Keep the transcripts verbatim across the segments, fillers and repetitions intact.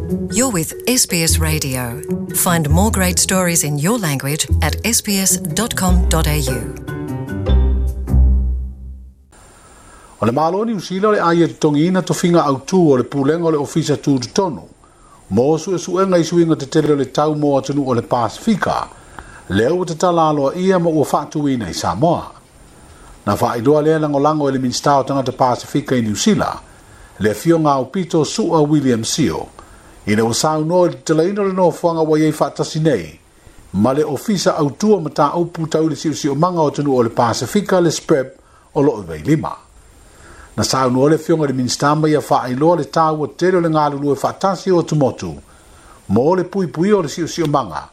You're with S B S Radio. Find more great stories in your language at s b s dot com dot a u. O le malo ni usila le aia totogiina tofiga autū o le pulega o le ofisa tutotonu mo suesuega i suiga tetele o le tau mo atunuu o le Pasifika lea ua tatala aloaia ma ua faatuina i Samoa. Na faailoa lea lagolago e le Minisita o Tagata Pasifika i Niu Sila le afioga aupito Su'a William Sio ina ua saunoa i le tatalaina o le nofoaga ua iai faatasi nei ma le ofisa autua mataupu tau i le siosiomaga o atunuu o le Pasifika le S P R E B o loo i Vailima. Na saunoa le afioga i le Minisita ma ia faailoa le taua tele o le galulue faatasi o atumotu mo le puipuia o le siosiomaga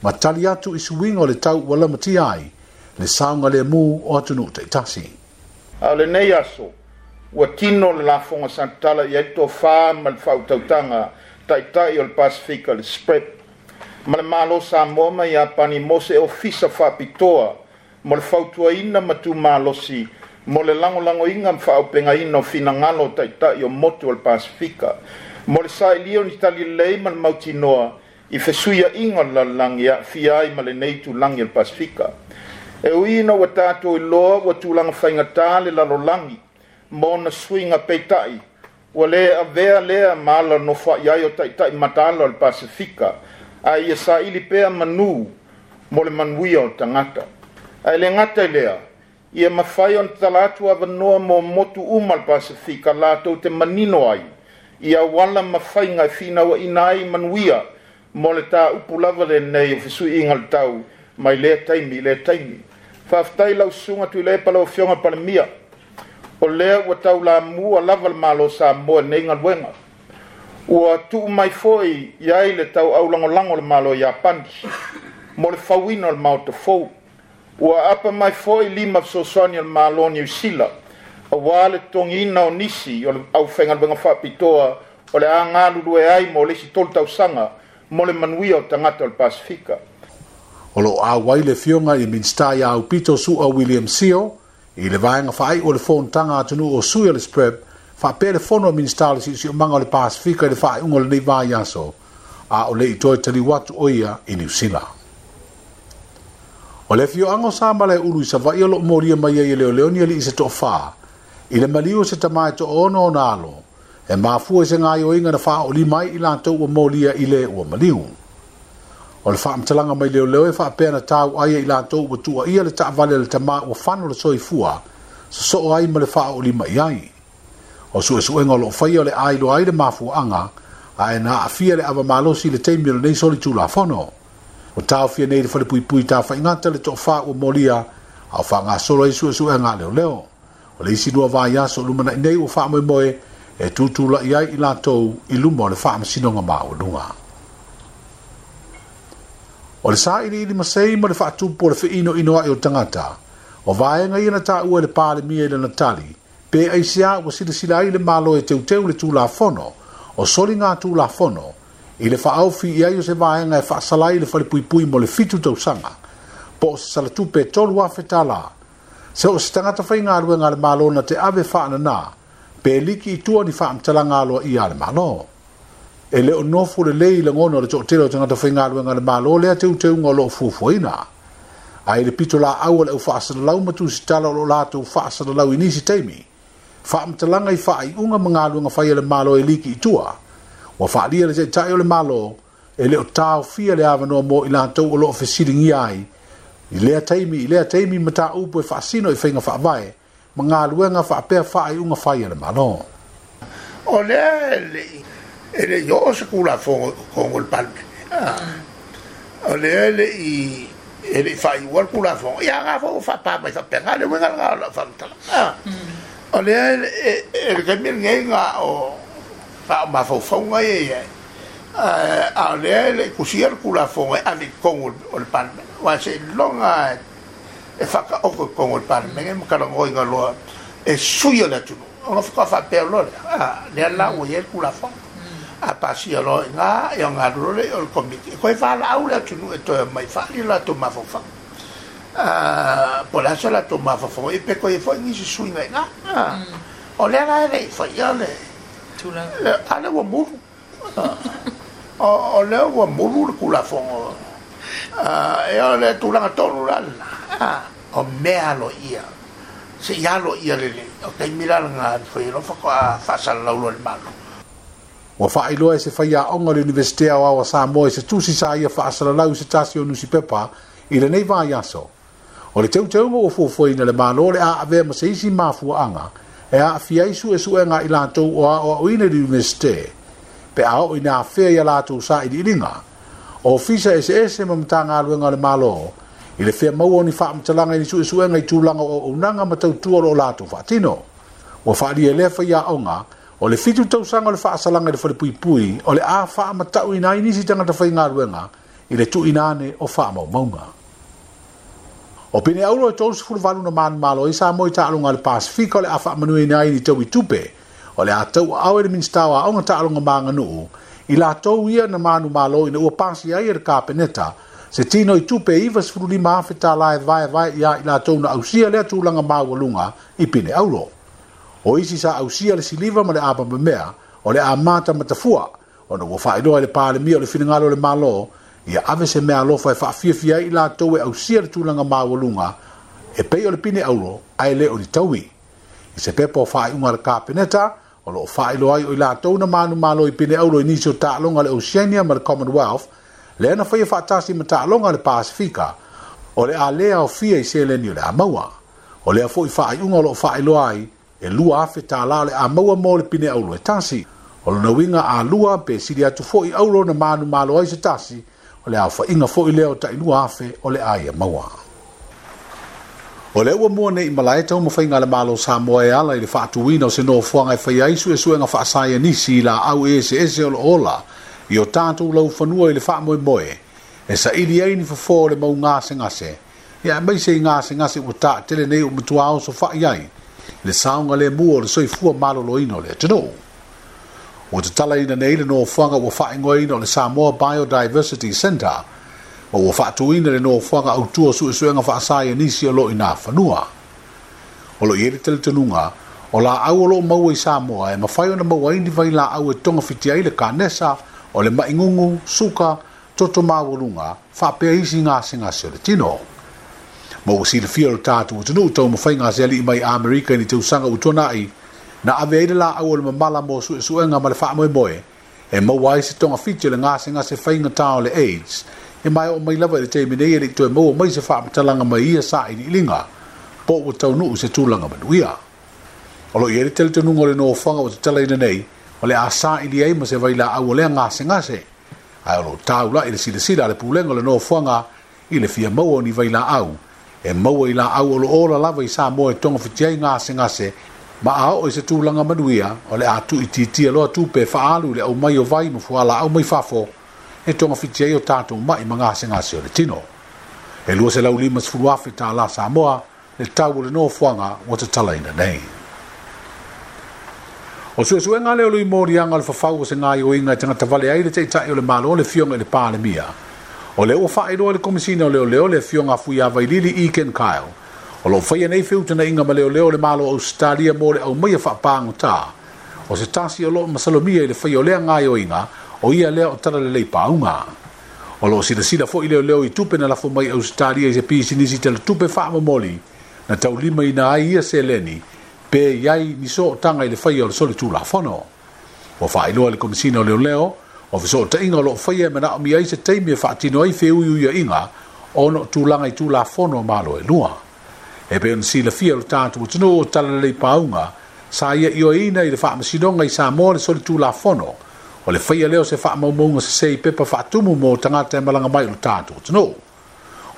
ma tali atu i suiga o le tau ua lamatia ai le saogalemu o atunuu taitasi. A o lenei aso, ua tino le lafoga sa tatala i ai le tofā ma le faautautaga taitai o le Pasifika le S P R E B. Ma le Malo Samoa ma Iapani mo se ofisa faapitoa mo le fautuaina ma tumalosi mo le lagolagoina ma faaaupegaina o finagalo o taitai o motu o le Pasifika, mo le sailia o ni tali lelei ma le mautinoa i fesuiaiga o le lalolagi e aafia ai ma lenei tulagi o le Pasifika. E ui ina ua tatou iloa ua tulaga faigatā le lalolagi ma ona suiga peitai, ua le avea lea ma ala nofoai ai o taitai mataala o le Pasifika, a ia saili pea manu mo le manuia o tagata. Ae le gata i lea, ia mafai ona tatala atu avanoa mo motu uma o le Pasifika latou te manino ai i auala ma faiga e finauaina ai manuia mo le tāupu lava lenei o fesuiaiga o le tau mai lea taimi i lea taimi. Faafetai lau susuga Tuilaepa lau afioga Palemia, o lea ua taulamua lava le Malo Samoa i lenei galuega. Ua tuu mai foi i ai le tauaulagolago o le Malo Iapani mo le fauina o le maota fou. Ua apa mai foi lima fesoasoani o le Malo Niu Sila auā le totogiina o nisi o le aufaigaluega faapitoa o le a galulue ai mo le isi tolu tausaga mo le manuia o tagata o le Pasifika. O loo auai le afioga i Minisita ia Aupito Su'a William Sio i le vaega faaiu o le fonotaga atunuu o sui o le S P R E B faapea le fono a Minisita o le Siosiomaga o le Pasifika i le faaiuga o lenei vaiaso a o le i toe taliu atu o ia i Niu Sila. O le afioaga o Samalaeulu i Savaii o loo molia mai ai e leoleo ni alii se toafā i le maliu o se tama e toaono ona alo e mafua i se gaioiga na faaolima ai i latou ua molia i le ua maliu. O le faamatalaga mai leoleo e faapea na tau ai i latou ua tuuaia le taavale le tama ua fano le soifua sosoo ai ma le faaolima i ai. O suesuega o loo faia o le ailoa ai le mafuaaga ae na aafia le avamalosi i le taimi o lenei solitulafono. O taofia nei le falepuipui tafaigata le toafā ua molia a o faagasolo ai suesuega a leoleo. O le isi lua vaiaso o lumanai nei ua faamoemoe e tutulai ai i latou i luma o le faamasinoga maualuga. O le sailiili masei ma le faatupu o le feinoino ai o tagata o vaega ia na taua e le Palemia i lana tali pe aisiā ua silasila ai le Malo e teuteu le tulafono o soliga tulafono i le faaofi i ai o se vaega e faasala ai le falepuipui mo le fitu tausaga po o se salatupe e tolu afe tālā se o se tagata faigaluega a le Malo na te ave faananā pe liki i tua ni faamatalaga aloaia a le Malo. E le o nofo lelei i lagona o le toatele o tagata faigaluega a le Malo lea teuteuga o loo fuafuaina. Ae le pito laau o le au faasalalau ma tusitala o loo latou faasalalau i nisi taimi faamatalaga i faaiuga ma galuega fai a le Malo e liki i tua. Ua faalia le taitai o le Malo e le o taofia le avanoa mo i latou o loo fesiligia ai i lea taimi i lea taimi mataupu e faasino i faiga faavae ma galuega faapea faaiuga fai a le Malo. O lea e le e le i oo se tulafono i le Palemene. O lea e le i e le i faaiua le tulafono. Ia nga foi ua faapā mai faapena le uiga lena o lau faamatalaga. O lea e le taimi lenei na o faaomafaufauga ia i ai. A o lea e le i tusia le tulafono e ave i totonu o le Palemene. Aua seiloga e faataoto i totonu o le Palemene ma talanoaina loa e sui o le atunuu. Ona faatoa faapea loa lea, lea la ua i ai le tulafono. A pasia loa i ina, ia ona alu loa lea o le komiti. E toe valaau le atunuu e toe omai faali o latou mafaufau. Po o le a se latou mafaufau ai pe toe i ai foi nisi suiga i ina. O lea la e le i faia le a lea ua mulu. O lea ua mulu le Tulafono e o le tulaga tonu la lena o mea aloaia se i aloaia lelei o taimi la lena e mafai ai loa faatoa faasalalau loa e le Malo. Ua faailoa e se faiaoga o le Iunivesite Aoao a Samoa i se tusi sa ia faasalalau i se tasi o nusipepa i lenei vaiaso. O le teuteuga ua fuafuaina e le Malo le a avea ma se isi mafuaaga e aafia ai suesuega a i latou o aoaoina i le Iunivesite pe a oo ina afea i a latou sailiiliga, ofisa eseese ma Matagaluega a le Malo i le fia maua o ni faamatalaga i ni suesuega i tulaga o auaunaga ma tautua o lo o latou faatino. Ua faaalia e lea faiaoga o le fitu tausaga o le faasalaga i le falepuipui o le a faamatauina ai nisi tagata faigaluega i le tuuina ane o faamaumauga. O pine auro e tolusefulu valu na manumalo ai Samoa i taaloga a le Pasifika o le a faamanuiaina ai ni taui tupe o le a tauaao e le Minisita o Aoga Taaloga ma Aganuu i latou ia na manumalo ina ua pasia ai e le Kapeneta se tino i tupe e ivasefulu lima afe tālā e vaevae ia i latou na ausia lea tulaga maualuga i pine auro. O isi sa ausia le siliva ma le apamamea o le a matamatafua ona ua faailoa e le Palemia o le finagalo o le Malo ia ave se mea alofa e faafiafia ai i latou e ausia le tulaga maualuga e pei o le pine auro ae le o ni taui. I se pepa o faaiuga a le Kapeneta o loo faailoa ai o i latou na manumalo i pine auro i nisi o taaloga a le Oceania ma le Commonwealth lea na faia faatasi ma taaloga a le Pasifika o le a le aofia i seleni o le a maua. O lea foi faaiuga o loo faailoa ai e lua afe tālā o le a maua mo le pine auro e tasi. O lona uiga a lua pe sili atu foi auro na manumalo ai se tasi o le aofaiga foi lea o tailua afe o le a ia maua. O lea ua mua nei i malae taumafaiga a le Malo o Samoa e ala i le faatuina o se nofoaga e faia ai suesuega faasaienisi i laau eseese o lo o ola i o tatou laufanua i le faamoemoe e saili ai ni fofo o le mau gasegase ia aemaise i gasegase ua taatele nei ua matua oso fai ai le saogalemu o le soifua maloloina o le atunuu. Ua tatalaina nei le nofoaga ua faaigoaina o le Samoa Biodiversity Centre ma ua faatuina le nofoaga autu o suesuega faasaienisi o lo o i nā fanua. O lo o i ai le talitonuga o laau o lo o maua i Samoa e mafai ona maua ai ni vailaau e togafiti ai le kanesa o le maʻi suka, toto maualuga, faapea isi gasegase o le tino. Ma ua silafia o le tatou atunuu taumafaiga a se alii mai Amerika i ni tausaga ua tuanai na ave ai le laau o le mamala mo suesuega ma le faamoemoe e maua ai se togafiti o le gasegase faigatā o le AIDS e mae oo mai lava i le taimi nei e leʻi toe maua mai se faamatalaga mai ia sailiiliga po ua taunuu se tulaga manuia. O lo o i ai le talitonuga o le nofoaga ua tatalaina nei o le a saili ai ma se vailaau o lea gasegase ae o lo o taulaʻi le silasila a le pulega o le nofoaga i le fia maua o ni vailaau e maua i laau o lo o ola lava i Samoa e togafiti ai gasegase ma a oo i se tulaga manuia o le a tuuitiitia loa tupe e faaalu i le aumai o vai ma fualaau mai fafo e togafiti ai o tatou maʻi ma gasegase o le tino. E luaselau limasefulu afe tālā Samoa le tau o le nofoaga ua tatalaina nei. O suesuega lea o le moliaga o le fafau o se gaoioiga e tagata vale ai le Taitai o le Malo le Afioga i le Palemia. O lea ua faailoa e le Komesina o Leoleo le Afioga a Fuiavailili Egan Kyle. O lo o faia nei feutagaiga ma leoleo o le Malo o Ausetalia mo le aumaia faapagotā. O se tasi o lo o masalomia i le faia o lea gaoioiga o ia lea o Talalelei Pauga. O lo o silasila foi leoleo i tupe na lafo mai Ausetalia i se pisinisi talatupe faamomoli na taulimaina ai ia seleni pe i ai ni sootaga i le faia o le solitulafono. Ua faailoa e le Komesina o Leoleo o fesootaiga o lo o faia e manaomia ai se taimi e faatino ai feuiuiaiga ona o tulaga i tulafono a Malo e lua. E pei ona silafia o le tatou atunuu o Talalelei Pauga sa ia ioeina i le faamasinoga i Samoa le solitulafono o le faia lea o se faamaumauga sesē i pepa faatumu mo tagata e malaga mai i lo tatou atunuu.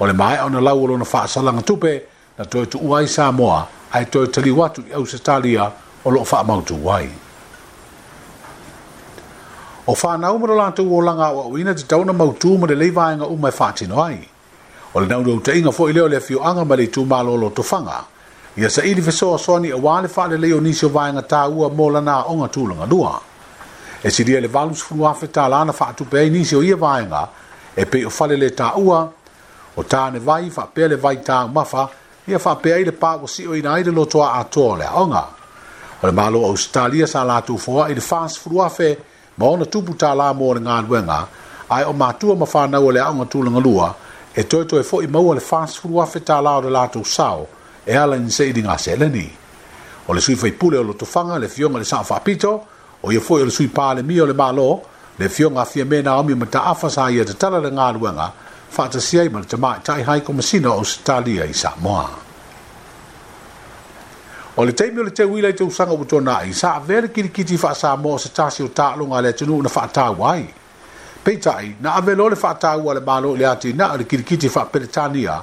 O le maea ona lau o lona faasalaga tupe na toe tuua ai Samoa ae toe taliu atu i Ausetalia o lo o faamautu ai. O whanau ma lo latou olaga aoaoina tatau ona mautū ma lelei vaega uma e faatino ai. O le naunautaiga foi lea o le afioaga ma le itumalo o Lotofaga ia saili fesoasoani auā le faalelei o nisi o vaega taua mo lana aoga tulaga lua. E silia i le valusefulu afe tālā na faatupe ai nisi o ia vaega e pei o fale le taua, o tāne vai faapea le vai taumafa ia faapea ai le pā ua sioina ai le lotoa atoa o le aoga. O le Malo o Ausetalia sa latou foai i le fasefulu afe Ma ona tupu tālā mo le galuega, ae o matua ma whānau o le aoga tulagalua, e toe toe fo'i maua le fasefulu afe tālā o le latou sao, e ala i ni sailiga seleni. O le sui faipule o Lotofaga, le Afioga le Sao Faapito, o ia foi o le sui palemia o le Malo, le Afioga a Fiame Naomi Mataafa sa ia tatala le galuega, faatasi ai ma le tamaitai Hai Komasina o Ausetalia i Samoa. O le taimi o le teuila i tausaga ua tuanai, sa avea le kilikiti faa-Samoa o se tasi o taaloga a le atunuu na faataua ai. Peitai, na ave loa le faataua a le Malo i le atinae o le kilikiti faa-Peretania,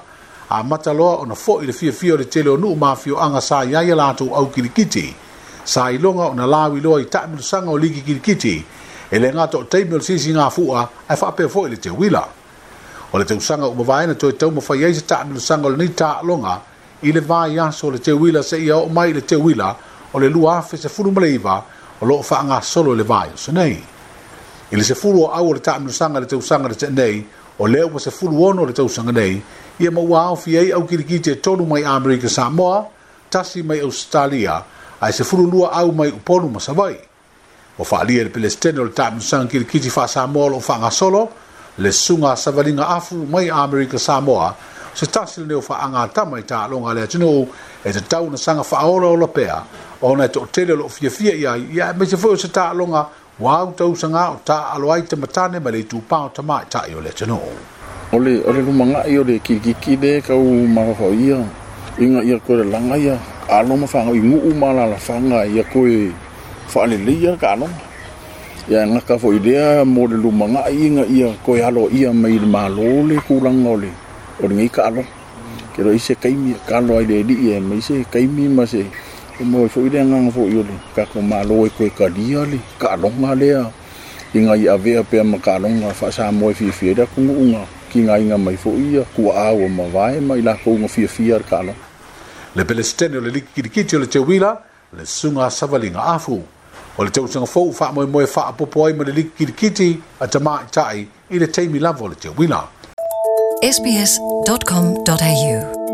amata loa ona fo'i le fiafia o le tele o nuu ma afioaga sa i ai a latou au kilikiti. Sa iloga ona lauiloa i taamilosaga o ligi kilikiti, e le gata o taimi o le sisigafua ae faapea foi le teuila. O le tausaga ua mavae na toe taumafai ai se taamilosaga o lenei taaloga i le vaiaso o le teuila seia oo mai i le teuila o le lua afe sefulu ma le iva o loo faagasolo i le vaiaso nei. I le sefulu o au o le taamilosaga i le tausaga na tea nei, o lea ua sefulu ono le tausaga nei, ia ma ua aofia ai au kilikiti e tolu mai Amerika Samoa, tasi mai Ausetalia, ae sefulu lua au mai Upolu ma Savaii. Ua faaalia e le Pelesitene o le taamilosaga kilikiti faa-Samoa o loo faagasolo, le susuga a Savaliga Afu mai Amerika Samoa, se tasi lenei o faagatama i taaloga a le atunuu e tatau ona saga faaolaola pea ona e toatele o loo fiafia i ai, ia aemaise foi o se taaloga ua au tausaga o taaalo ai tamatane ma le itupā o tamaitai o le atunuu. O le o le lumanai o le kilikiki le kau mafaufau ia ina ia koe lalaga ia alo ma fagau i nuu ma alaalafaga ia koe faaleleia le taaloga. Ia gata foi lea mo le lumanai ina ia koe aloaia mai i le Malo le tulaga o le o lenei taaloga. Ke loa i se taimi e kalo ai le alii aemaise taimi ma se e maua ai foi le agaga foi o le tatou Malo e toe talia le taaloga lea ina ia avea pea ma taaloga faa-Samoa e fiafia ai le atunuu na tigaina mai foi ia tuaa ua mavae ma i latou na fiafia le taaloga. Le Pelesitene o le Liki Kilikiti o le Teuila, le Susuga a Savaliga Afu. O le tausaga fou faamoemoe faaopoopo ai ma le Liki Kilikiti a tamaitai i le taimi lava o le teuila. S B S dot com dot A U